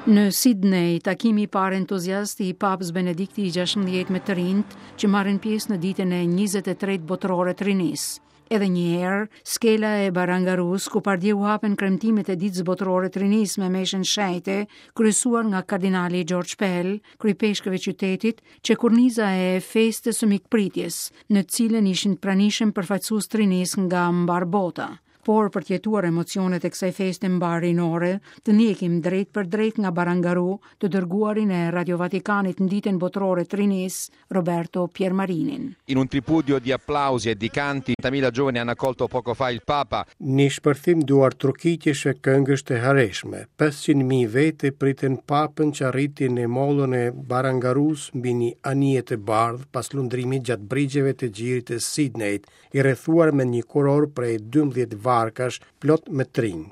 Në Sidney, takimi i parë entuziast i Papës Benedikti i 16 me të rinjtë që marrin pjesë në ditën e 23 botërore të rinisë. Edhe një herë, skela e Barangarus, ku pardje u hapen kremtimet e ditës botërore të rinisë me meshën shenjte, kryesuar nga kardinali George Pell, kryepeshkëv i qytetit, qe korniza e festës së mikpritjes, në të cilën ishin të pranishëm përfaqësues të rinisë nga mbarë bota. Por për të jetuar emocionet e kësaj feste mbarërinore, të ndjekim drejtpërdrejt nga Barangaru, të dërguarin e Radio Vatikanit në Ditën Botërore të Rinisë, Roberto Piermarinin. In un tripudio di applausi e di canti, 30.000 giovani hanno accolto poco fa il Papa. Një shpërthim duartrokitjesh e këngësh të hareshme, 500.000 vete pritën Papën që arriti në mollën e Barangarus mbi një anije të bardhë pas lundrimit gjatë brigjeve të gjirit të Sidneyt, i rrethuar me një kurorë prej 12 varkash plot me të rinj.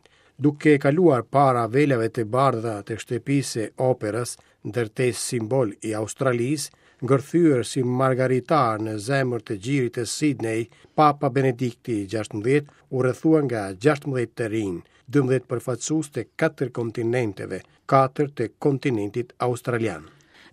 Duke kaluar para velave të bardha të shtëpisë së operës, ndërtesë simbol i Australisë, ngërthyer si margaritar në zemër të gjirit të Sidney, Papa Benedikti i 16 u rrethua nga 16 të rinj, 12 përfaqësues të katër kontinenteve, katër të kontinentit australian.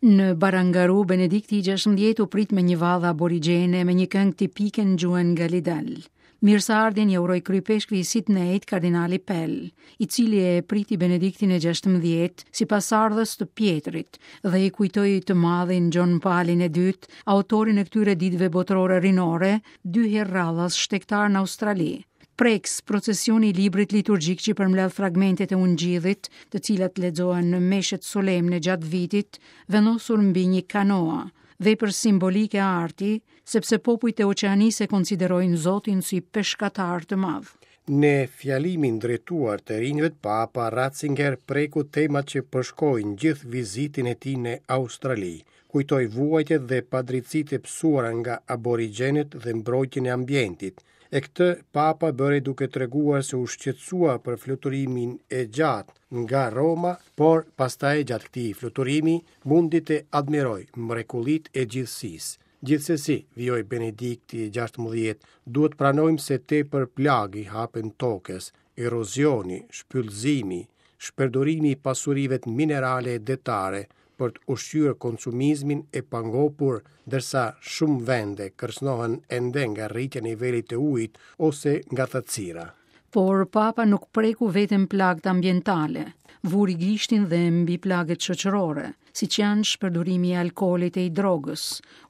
Në Barangaru, Benedikti i 16 u prit me një valle aborigjene me një këngë tipike në gjuhën Galidal. Mirëseardhjen ia uroi kryepeshkvi i Sidneyt, kardinali Pell, i cili e priti Benediktin e 16 si pasardhës të Pjetrit dhe i kujtoi të madhin Gjon Palin e dytë, autorin e këtyre ditëve botërore rinore, dy herë radhas shtegtar në Australi. Prekës procesioni i librit liturgjik që përmbledh fragmentet e Ungjillit, të cilat lexohen në meshet solemne gjatë vitit, vendosur mbi një kanoa, vepër simbolike arti, sepse popujt e Oqeanisë e konsiderojnë Zotin si peshkatar të madh. Në fjalimin drejtuar të rinjve, Papa Ratzinger preku temat që përshkojnë gjithë vizitën e tij në Australi. Kujtoi vuajtjet dhe padrejtësitë e pësuara nga aborigjenët dhe mbrojtjen e ambientit. E këtë Papa bëri duke treguar se u shqetësua për fluturimin e gjatë nga Roma, por pastaj gjatë këtij fluturimi mundi të admirojë mrekullitë e gjithësisë. Gjithsesi, vijoi Benedikti i 16, duhet pranojmë se tepër plagë i hapen tokës, erozioni, shpyllëzimi, shpërdorimi i pasurive minerale e detare, për të ushqyer konsumizmin e pangopur, ndërsa shumë vende kërcënohen ende nga rritja e nivelit të ujit ose nga thatësira. Por Papa nuk preku vetëm plagët ambientale, vuri gishtin dhe mbi plagët shoqërore, siç janë shpërdorimi i alkoolit e i drogës,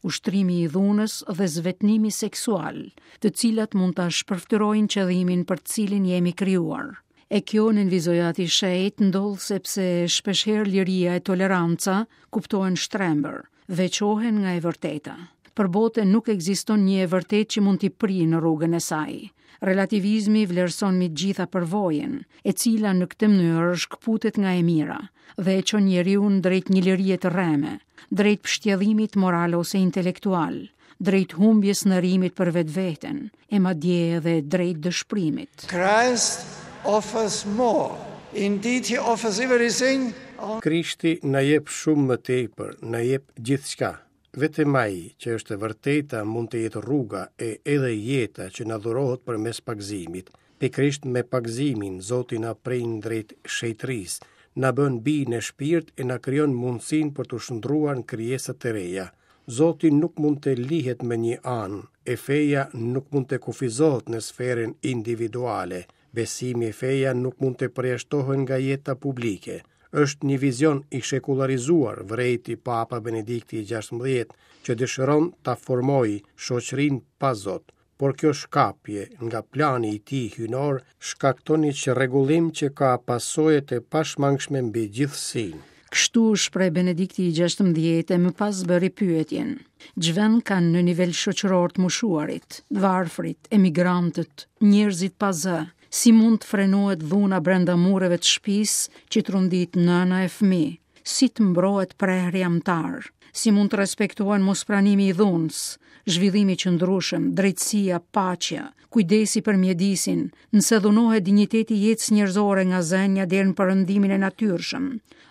ushtrimi i dhunës dhe zvetënimi seksual, të cilat mund ta shpërfytyrojnë qëllimin për të cilin jemi krijuar. E kjo, nënvizoi Ati i Shenjtë, ndodh sepse shpeshherë liria e toleranca kuptohen shtrembër, veçohen nga e vërteta. Për botën nuk ekziston një e vërtetë që mund t'i prijë në rrugën e saj. Relativizmi vlerëson mbi të gjitha përvojën, e cila në këtë mënyrë shkëputet nga e mira dhe e çon njeriun drejt një lirie të rreme, drejt pështjellimit moral ose intelektual, drejt humbjes së nërimit për vetveten, e madje edhe drejt dëshpërimit. Christ offers more. Indeed he offers everything. Krishti na jep shumë më tepër, na jep gjithçka. Vetëm ai, që është e vërteta, mund të jetë rruga e edhe jeta që na dhurohet përmes pagëzimit. Pikërisht me pagëzimin, Zoti na prin drejt shenjtërisë, na bën bij në shpirt e na krijon mundësinë për t'u shndërruar në krijesa të reja. Zoti nuk mund të lihet më një anë, e feja nuk mund të kufizohet në sferën individuale. Besimi e feja nuk mund të përjashtohen nga jeta publike. Është një vizion i shekullarizuar, vërejti Papa Benedikti i 16, që dëshiron ta formojë shoqërinë pa Zot. Por kjo shkapje nga plani i tij hyjnor shkakton një çrregullim që ka pasoja të pashmangshme mbi gjithësinë. Kështu u shpreh Benedikti i 16 e më pas bëri pyetjen. Ç'vend kanë në nivel shoqëror të moshuarit, të varfrit, emigrantët, njerëzit pa zë, si mund të frenohet dhuna brenda mureve të shtëpisë që trondit nëna e fëmijë, si të mbrohet prehri amtar. Si mund të respektohen mospranimi i dhunës, zhvillimi i qëndrueshëm, drejtësia, paqja, kujdesi për mjedisin, nëse dhunohet dinjiteti i jetës njerëzore nga zënia deri në perëndimin e natyrshëm,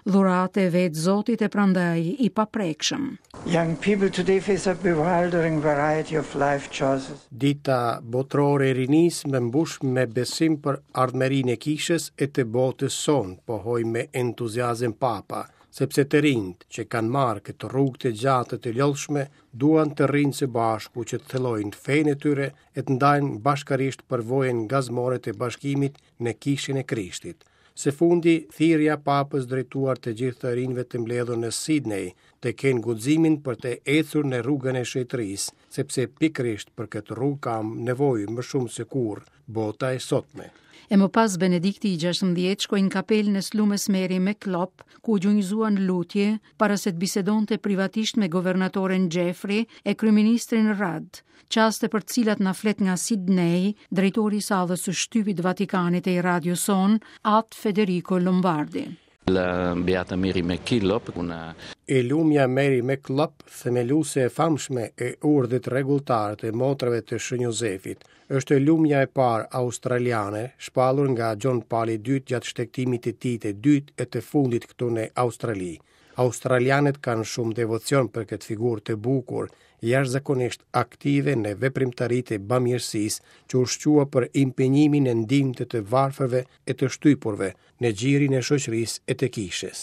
dhuratë e vetë Zotit e prandaj i paprekshëm. Young people today face a bewildering variety of life choices. Dita Botërore e Rinisë më mbush me besim për ardhmërinë e Kishës e të botës sonë, pohoi me entuziazëm Papa, sepse të rinjtë që kanë marrë këtë rrugë të gjatë e të lodhshme duan të rrinë së bashku që të thellojnë fenë e tyre e të ndajnë bashkërisht përvojën gazmore të bashkimit në Kishën e Krishtit. Së fundi, thirrja e Papës drejtuar të gjithë të rinjve të mbledhur në Sidnej, të kenë guximin për të ecur në rrugën e shenjtërisë, sepse pikërisht për këtë rrugë ka nevojë më shumë se kurrë bota e sotme. E më pas Benedikti i 16 shkoi në kapelën e së lumes Mary MacKillop, ku u gjunjëzua në lutje para se të bisedonte privatisht me guvernatoren Jeffrey e kryeministrin Rudd, çaste për të cilat na flet nga Sidney, drejtori i sallës së shtypit të Vatikanit e i radios sonë, At Federico Lombardi. La Beata Mary MacKillop, una E lumja Mary MacKillop, themeluese e famshme e urdhrit rregulltar të motrave të Shën Jozefit, është e lumja e parë australiane, shpallur nga Gjon Pali i Dytë gjatë shtegtimit të tij të dytë e të fundit këtu në Australi. Australianët kanë shumë devocion për këtë figurë të bukur, jashtëzakonisht aktive në veprimtaritë e bamirësisë, që u shqua për impenjimin në ndihmë të të varfërve e të shtypurve, në gjirin e shoqërisë e të kishës.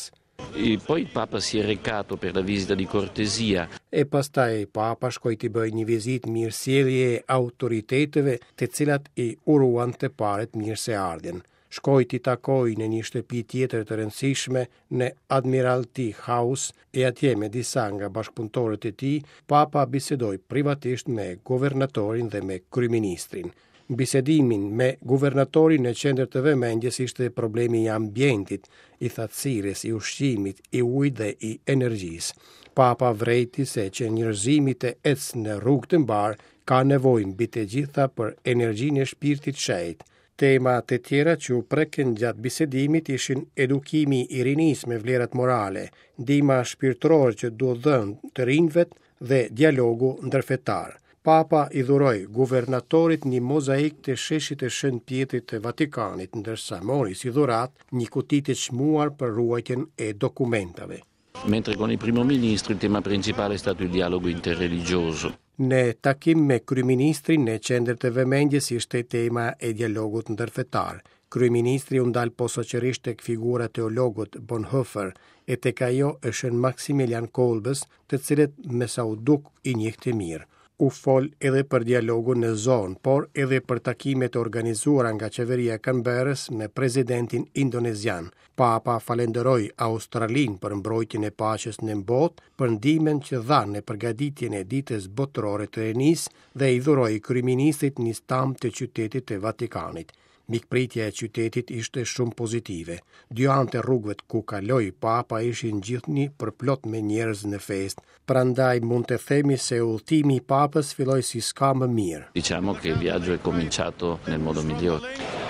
E poi il Papa si è recato per la visita di cortesia. E pastaj Papa shkoi t'i bëjë një vizitë mirësjelljeje autoriteteve, të cilat i uruan të parët mirëseardhjen. Shkoi t'i takojë në një shtëpi tjetër të rëndësishme në Admiralty House e atje me disa nga bashkëpunëtorët e tij, Papa bisedoi privatisht me guvernatorin dhe me kryeministrin. Në bisedimin me guvernatorin në qendër të vëmendjes ishte problemi i ambientit, i thatësirës, i ushqimit, i ujit dhe i energjisë. Papa vërejti se që njerëzimi të ecë në rrugë të mbarë, ka nevojë mbi të gjitha për energjinë e shpirtit shenjt. Tema të tjera që u prekën gjatë bisedimit ishin edukimi i rinisë me vlerat morale, ndihma shpirtërore që duhet dhënë të rinjve dhe dialogu ndërfetar. Papa i dhuroi guvernatorit një mozaik të sheshit të Shën Pjetrit të Vatikanit, ndërsa mori si dhuratë një kuti të çmuar për ruajtjen e dokumentave. Mentre con il primo ministro il tema principale è stato il dialogo interreligioso. Në takim me kryeministrin në qendër të vëmendjes ishte tema e dialogut ndërfetar. Kryeministri u ndal posaçërisht tek figura e teologut Bonhoeffer e tek ajo e Shën Maksimilian Kolbës, të cilët me sa u duk i njihte mirë. U fol edhe për dialogun në zonë, por edhe për takimet e organizuara nga qeveria e Canberrës me presidentin indonezian. Papa falënderoi Australinë për mbrojtjen e paqes në botë, për ndihmën që dha në përgatitjen e Ditës Botërore të Rinisë dhe i dhuroi kryeministrit një stampë të qytetit të Vatikanit. Mikpritja e qytetit ishte shumë pozitive. Dy anët e rrugëve ku kaloi Papa ishin gjithnjë përplot me njerëz në festë, prandaj mund të themi se udhëtimi i Papës filloi si s'ka më mirë. Diciamo che il viaggio è cominciato nel modo migliore.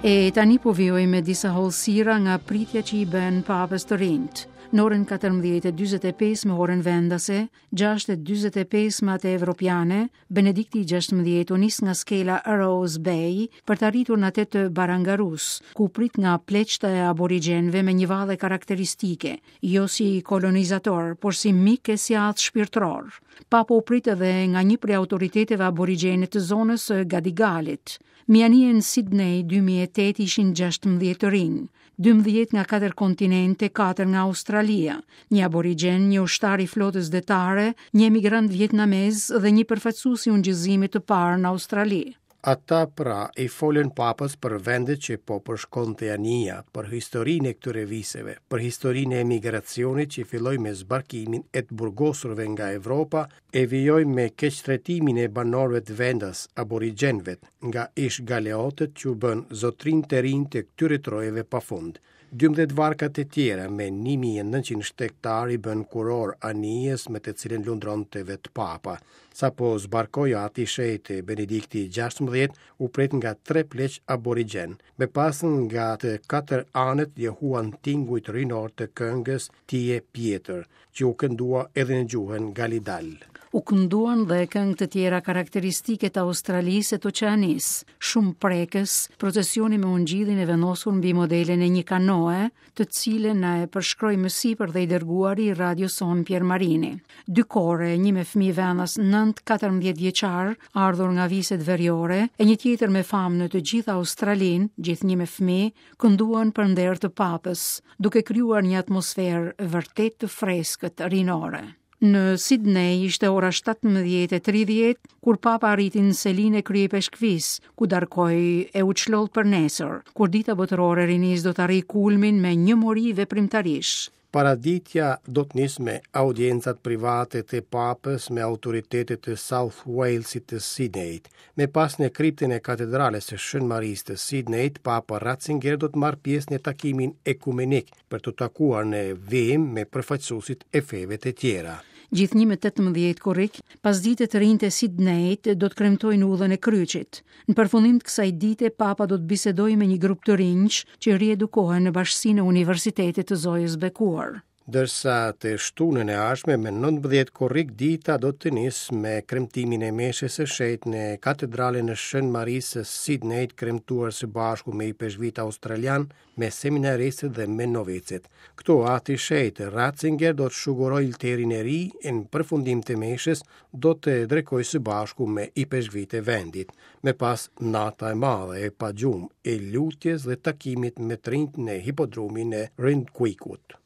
E tani po vijoj me disa hollësira nga pritja që i bënë papës të rinjtë. Në orën 14:45 me orën vendase, 6:45 me atë evropiane, Benedikti i 16 u nis nga skela Rose Bay për të arritur në atë të Barangarus, ku u prit nga pleqtë e aborigjenëve me një valle karakteristike, jo si kolonizator, por si mik e si atë shpirtëror. Papa u prit edhe nga një prej autoriteteve aborigjene të zonës së Gadigalit. Me anijen Sydney 2008 ishin 16 të rinj, 12 nga katër kontinente, katër nga Australia, një aborigjen, një ushtar i flotës detare, një emigrant vietnamez dhe një përfaqësues i ungjillëzimit të parë në Australi. Ata pra i folën Papës për vendet që po përshkonte anija, për historinë e këtyre viseve, për historinë e emigracionit që filloi me zbarkimin e të burgosurve nga Evropa e vijoi me keqtrajtimin e banorëve të vendas, aborigjenëve, nga ish-galeotët që u bënë zotërinj të rinj të këtyre trojeve pa fund. 12 varkat e tjera me 1900 shtegtarë i bënë kurorë anijes me të cilën lundronte vetë Papa. Sapo zbarkoi Ati i Shenjtë Benedikti XVI u prit nga tre pleq aborigjenë. Më pas nga të katër anët jehuan tingujt rinorë të këngës Ti je Pjetër, që u këndua edhe në gjuhën Galidal. U kënduan dhe këngë të tjera karakteristike të Australisë e të Oqeanisë, shumë prekës, procesioni me ungjillin e vendosur mbi modelin e një kanoe, të cilën na e përshkroi më sipër dhe i dërguari i radios sonë Pier Marini. Dy kore, një me fëmijë vendas 9-14 vjeçar, ardhur nga viset veriore, e një tjetër me famë në të gjithë Australinë, gjithnjë me fëmijë, kënduan për nder të Papës, duke krijuar një atmosferë vërtet të freskët rinore. Në Sidney ishte ora 17:30 kur Papa arriti në selinë e Kryeipeshkvisë, ku darkoi e u çlodh për nesër, kur Dita Botërore e Rinisë do të arrijë kulmin me një mori veprimtarish. Paraditja do të nisë me audiencat private të Papës me autoritetet e South Walesit të Sidneyt. Më pas në kriptën e Katedrales së Shën Marisë të Sidneyt, Papa Ratzinger do të marrë pjesë në takimin ekumenik për t'u takuar në vijim me përfaqësuesit e feve të tjera. Gjithnjë më 18 korrik, pasdite të rinjtë e Sidneyt do të kremtojnë udhën e kryqit. Në përfundim të kësaj dite, Papa do të bisedojë me një grup të rinjsh që riedukohen në bashkësinë e Universitetit të Zojës Bekuar. Ndërsa të shtunën e ardhshme me 19 korrik dita do të nisë me kremtimin e meshës së shenjtë në Katedralen e Shën Marisë së Sidneyt kremtuar së bashku me ipeshkvijtë australianë me seminaristët dhe me novicët. Këtu Ati i Shenjtë Ratzinger do të shugurojë oltarin e ri e në përfundim të meshës do të drekojë së bashku me ipeshkvijtë e vendit. Më pas nata e madhe e pa gjumë e lutjes dhe takimit me të rinjtë në hipodromin e Randwickut.